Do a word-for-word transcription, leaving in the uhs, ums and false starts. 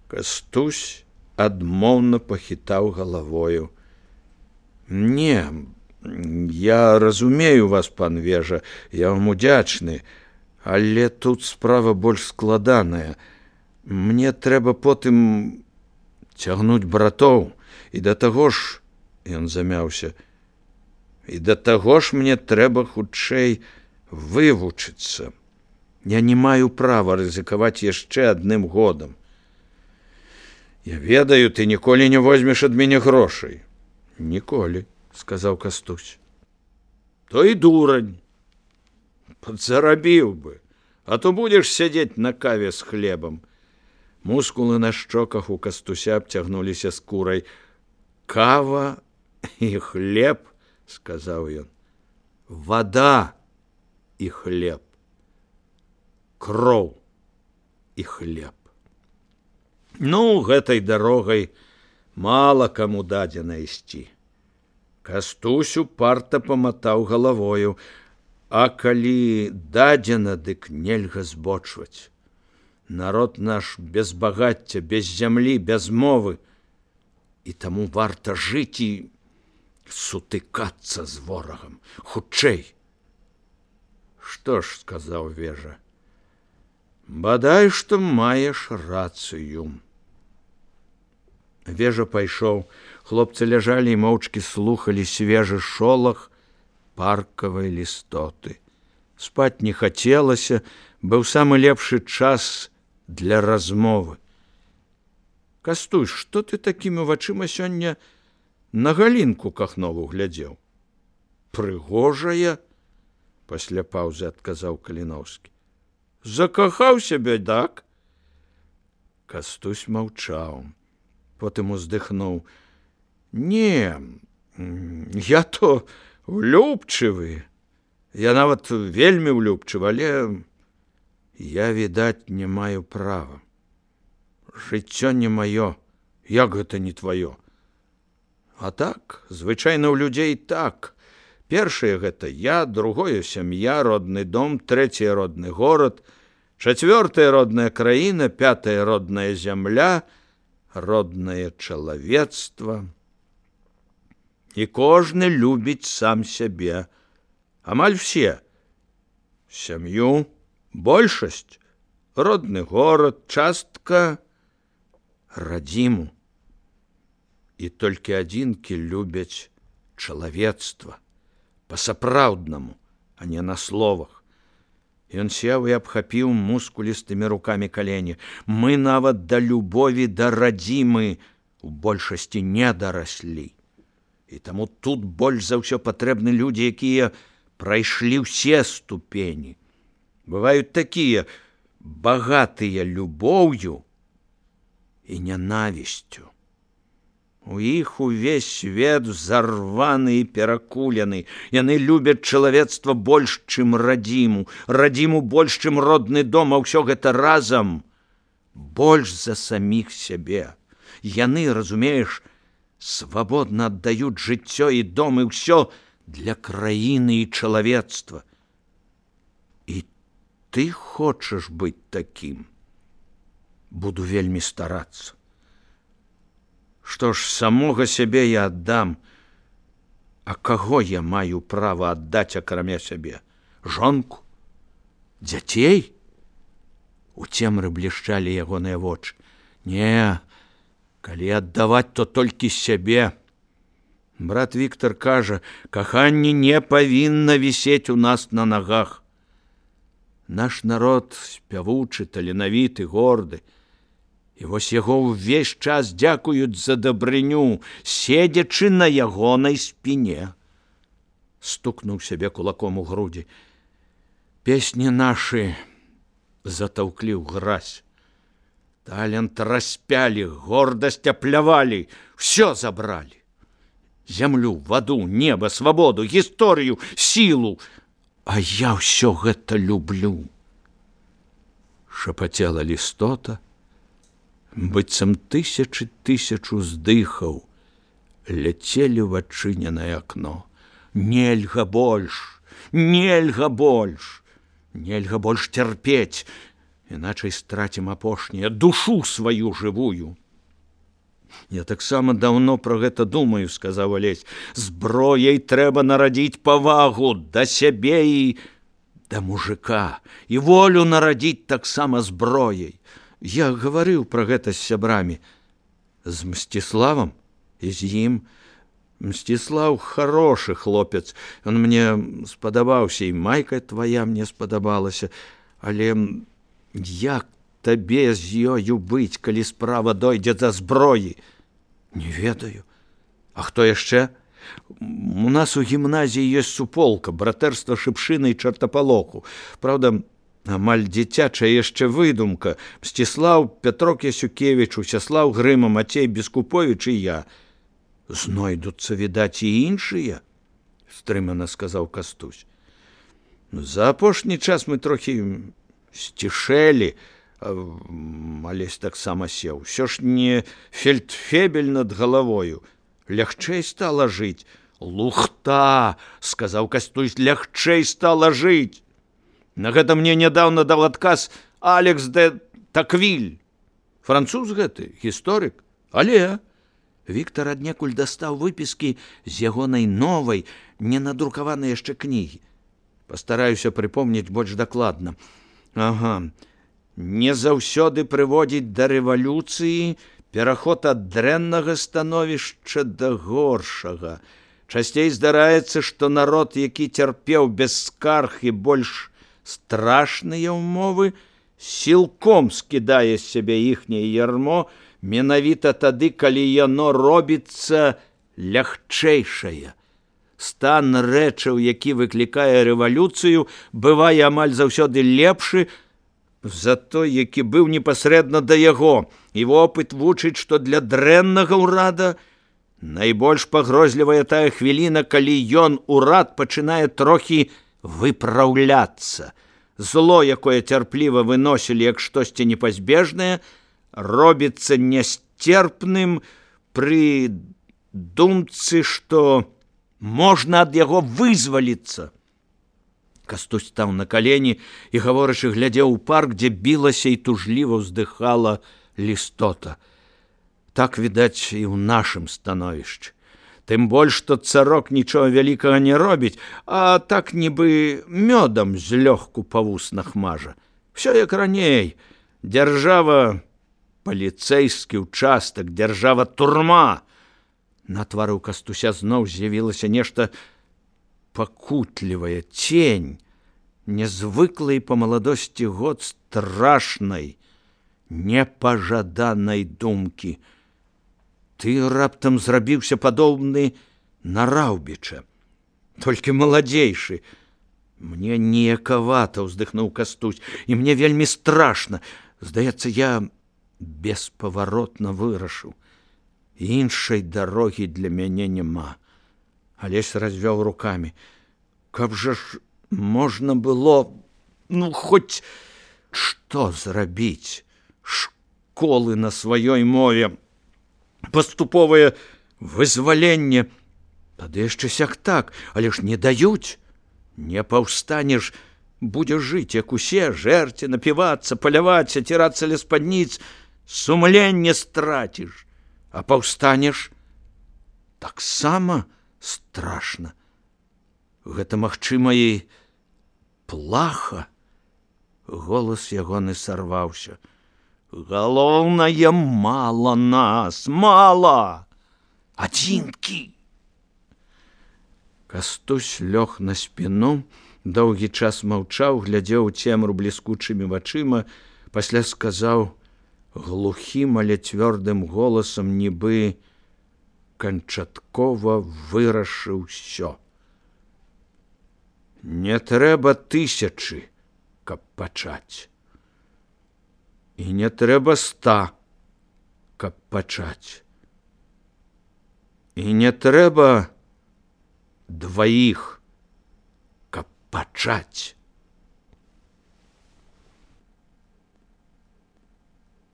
Кастусь адмоўна пахітаў галавою. Не, я разумею вас, пан Вежа, я вам удзячны, але тут справа больш складаная. Мне трэба потым цягнуць братоў, і да таго ж, ён замяўся, і да таго ж мне трэба хутчэй вывучыцца. Я не маю права рызыкаваць яшчэ адным годам. Я ведаю, ты ніколі не возьмеш ад мяне грошай. Ніколі, сказаў Кастусь. То і дурань. Падзарабіў бы, а то будзеш сядзець на каве з хлебам. Мускулы на шчоках у Кастуся абцягнуліся скурай. Кава і хлеб, сказаў ён. Вада і хлеб. Кроў і хлеб. Ну, гэтай дарогай мала каму дадзена ісці. Кастусь упарта паматаў галавою, а калі дадзена, дык нельга збочваць. Народ наш без багацця, без зямлі, без мовы, і таму варта жыць і сутыкацца з ворагам. Хутчэй. Што ж, сказаў Вежа, бадай, што маеш рацыю. Вежа пайшоў. Хлопцы ляжалі і моўчкі слухалі свежы шолах паркавай лістоты. Спаць не хацелася, быў самы лепшы час для размовы. Кастусь, што ты такімі вачыма сёння на Галінку Кахнову глядзеў? Прыгожая, пасля паўзы адказаў Каліноўскі. Закахаў сябе, так? Кастусь маўчаў. Потым уздыхнуў. Не, я то влюбчывы. Я нават вельмі влюбчывы, але я, відаць, не маю права. Жыццё не маё, як гэта не тваё? А так, звычайна ў людзей так. Першае гэта я, другое сям'я, родны дом, трэцяе родны горад, чацвёртая родная краіна, пятая родная зямля, роднае чалавецтва. І кожны любіць сам сябе. Амаль все. Сям'ю, большасць, родны горад, частка, радзіму. І толькі адзінкі любяць чалавецтва. Па-сапраўднаму, а не на словах. Ён сеў і абхапіў мускулістымі рукамі калені. Мы нават да любові да радзімы у большасці не дараслі. І таму тут больш за ўсё патрэбны людзі, якія прайшлі ўсе ступені. Бываюць такія багатыя любоўю і нянавісцю. У іх увесь свет зарваны і перакулены. Яны любяць чалавецтва больш, чым радзіму. Радзіму больш, чым родны дом, а ўсё гэта разам больш за саміх сябе. Яны, разумееш, свабодна аддаюць жыццё і дом, і ўсё для краіны і чалавецтва. І ты хочаш быць такім? Буду вельмі старацца. Што ж, самога сябе я аддам, а каго я маю права аддаць акрамя сябе? Жонку? Дзяцей? У цемры блішчалі ягоныя вочы. Не, калі аддаваць, то толькі сябе. Брат Віктор кажа, каханне не павінна вісець у нас на нагах. Наш народ спявучы, таленавіты, горды. І вось яго ўвесь час дзякуюць за дабрыню, седзячы на ягонай спіне. Стукнуў сябе кулаком у грудзі. Песні нашы затаўклі ў гразь. Талент распялі, гордасць аплявалі, ўсё забралі. Зямлю, ваду, неба, свабоду, гісторыю, сілу. А я ўсё гэта люблю. Шапацела лістота, быццам тысячы тысячу здыхаў ляцелі ў адчыненае акно. Нельга больш, нельга больш, нельга больш цярпець. іначай страцім апошняе, душу сваю жывую. Я таксама даўно пра гэта думаю, сказаў Алесь. Зброяй трэба нарадзіць павагу да сябе і да мужика, і волю нарадзіць таксама зброяй. Я гаварыў пра гэта з сябрамі. З Мсціславам і з ім. Мсціслаў хорошы хлопец. Ён мне спадабаўся, і майка твая мне спадабалася. Але як табе з ёю быць, калі справа дойдзе да зброі? Не ведаю. А хто яшчэ? У нас у гімназіі ёсць суполка, братэрства шыпшыны і чартапалоху. Праўда, амаль дзіцячая яшчэ выдумка. Мсціслаў, Пятрок Ясюкевіч, Усяслаў Грыма, Мацей Бескуповіч і я. Знойдуцца, відаць, і іншыя, стрымана сказаў Кастусь. За апошні час мы трохі сцішэлі, Алесь таксама сеў. Усё ж не фельдфебель над галавою. Лягчэй стала жыць. Лухта, сказаў Кастусь, лягчэй стала жыць. На гэта мне нядаўна даў адказ Алекс де Таквиль. Француз гэты, гісторык. Але Віктар аднекуль дастаў выпіскі з ягонай новай, не надрукаванай яшчэ кнігі. Пастараюся прыпомніць больш дакладна. Ага. Не заўсёды прыводзіць да рэвалюцыі, пераход ад дрэннага становішча да горшага. Часцей здараецца, што народ, які цярпеў без скарг і больш страшныя ўмовы, сілком скідае з сябе іхняе ярмо, менавіта тады, калі яно робіцца лягчэйшае. Стан рэчаў, які выклікае рэвалюцыю, бывае амаль заўсёды лепшы за той, які быў непасрэдна да яго. І вопыт вучыць, што для дрэннага ўрада найбольш пагрозлівая тая хвіліна, калі ён, урад, пачынае трохі выпраўляцца. Зло, якое цярпліва выносілі як штосьці непазбежнае, робіцца нясцерпным пры думцы, што можна ад яго вызваліцца. Кастусь стаў на калені і, гаворачы, глядзеў у парк, дзе білася і тужліва ўздыхала лістота. Так, відаць, і ў нашым становішчы. Тым больш, што царок нічога вялікага не робіць, а так нібы мёдам злёгку па вуснах мажа. Всё як раней. Дзяржава паліцэйскі ўчастак, дзяржава турма. На твары ў Кастуся зноў з'явілася нешта пакутлівая, цень, нязвыклай па маладосці год страшнай, непажаданай думкі. Ты раптам зрабіўся падобны на Раўбіча, толькі маладзейшы. Мне неякавата, ўздыхнуў Кастусь, і мне вельмі страшна. Здаецца, я беспаваротна вырашыў. Іншай дарогі для мяне няма. Алесь развёў рукамі. Каб жа ж можна было, ну, хоць што зрабіць? Школы на сваёй мове, паступовае вызваленне. Тады яшчэ сяк так, але ж не даюць. Не паўстанеш, будзеш жыць, як усе, жэрці, напівацца, паляваць, ацірацца ля спадніц, сумленне страціш. А паўстанеш таксама страшна. Гэта, магчыма, і плаха. Голас ягоны сарваўся. Галоўнае, мала нас, мала! Адзінкі! Кастусь лёг на спіну, доўгі час маўчаў, глядзеў у цемру бліскучымі вачыма, пасля сказаў глухім, але цвёрдым голасам, нібы канчаткова вырашыў усё. Не трэба тысячы, каб пачаць. І не трэба ста, каб пачаць. І не трэба дваіх, каб пачаць.